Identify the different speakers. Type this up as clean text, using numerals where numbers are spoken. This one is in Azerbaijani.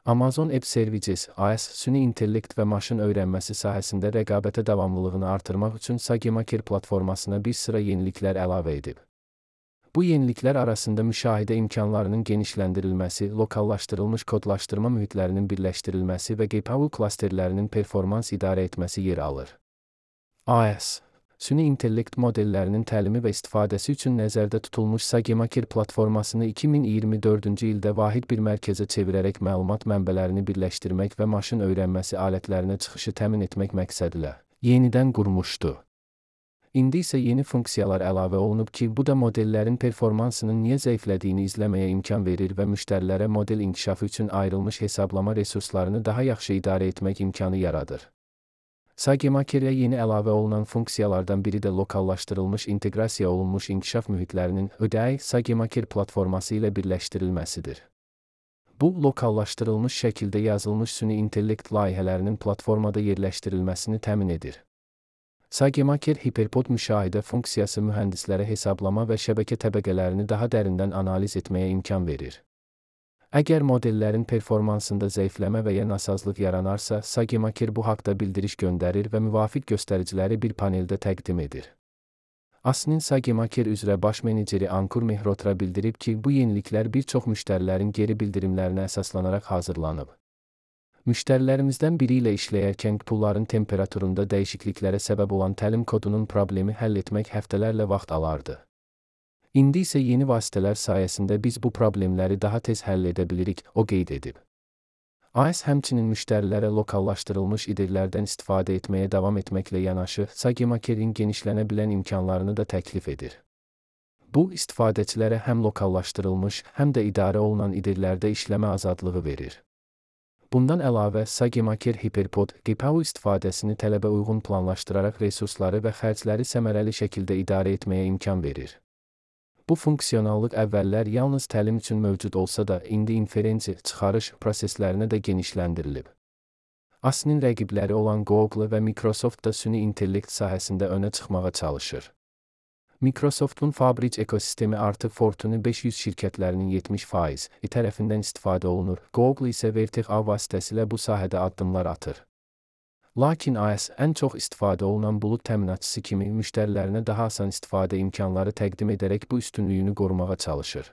Speaker 1: Amazon Web Services AES süni intellekt və maşın öyrənməsi sahəsində rəqabətə davamlılığını artırmaq üçün SageMaker platformasına bir sıra yeniliklər əlavə edib. Bu yeniliklər arasında müşahidə imkanlarının genişləndirilməsi, lokallaşdırılmış kodlaşdırma mühitlərinin birləşdirilməsi və GPU klasterlərinin performans idarə etməsi yer alır. AES süni intellekt modellərinin təlimi və istifadəsi üçün nəzərdə tutulmuş SageMaker platformasını 2024-cü ildə vahid bir mərkəzə çevirərək məlumat mənbələrini birləşdirmək və maşın öyrənməsi alətlərinə çıxışı təmin etmək məqsədilə yenidən qurmuşdu. İndi isə yeni funksiyalar əlavə olunub ki, bu da modellərin performansının niyə zəiflədiyini izləməyə imkan verir və müştərilərə model inkişafı üçün ayrılmış hesablama resurslarını daha yaxşı idarə etmək imkanı yaradır. SageMakerə yeni əlavə olunan funksiyalardan biri də lokallaşdırılmış inteqrasiya olunmuş inkişaf mühitlərinin ÖDI SageMaker platforması ilə birləşdirilməsidir. Bu, lokallaşdırılmış şəkildə yazılmış süni intellekt layihələrinin platformada yerləşdirilməsini təmin edir. SageMaker Hyperpod müşahidə funksiyası mühəndislərə hesablama və şəbəkə təbəqələrini daha dərindən analiz etməyə imkan verir. Əgər modellərin performansında zəifləmə və ya nasazlıq yaranarsa, SageMaker bu haqda bildiriş göndərir və müvafiq göstəriciləri bir paneldə təqdim edir. ASNİN SageMaker üzrə baş meneceri Ankur Mehrotra bildirib ki, bu yeniliklər bir çox müştərilərin geri bildirimlərinə əsaslanaraq hazırlanıb. Müştərilərimizdən biri ilə işləyərkən pulların temperaturunda dəyişikliklərə səbəb olan təlim kodunun problemi həll etmək həftələrlə vaxt alardı. İndi isə yeni vasitələr sayəsində biz bu problemləri daha tez həll edə bilirik, o qeyd edib. AES həmçinin müştərilərə lokallaşdırılmış IDE'lərdən istifadə etməyə davam etməklə yanaşı, SageMaker'in genişlənə bilən imkanlarını da təklif edir. Bu, istifadəçilərə həm lokallaşdırılmış, həm də idarə olunan IDE'lərdə işləmə azadlığı verir. Bundan əlavə, SageMaker Hyperpod, GPU istifadəsini tələbə uyğun planlaşdıraraq resursları və xərcləri səmərəli şəkildə idarə etməyə imkan verir. Bu funksionallıq əvvəllər yalnız təlim üçün mövcud olsa da, indi inferensi, çıxarış proseslərinə də genişləndirilib. ASNİN rəqibləri olan Google və Microsoft da süni intellekt sahəsində önə çıxmağa çalışır. Microsoft'un Fabric ekosistemi artıq Fortune 500 şirkətlərinin 70% tərəfindən istifadə olunur, Google isə Vertex A vasitəsilə bu sahədə addımlar atır. Lakin AES ən çox istifadə olunan bulud təminatçısı kimi müştərilərinə daha asan istifadə imkanları təqdim edərək bu üstünlüyünü qorumağa çalışır.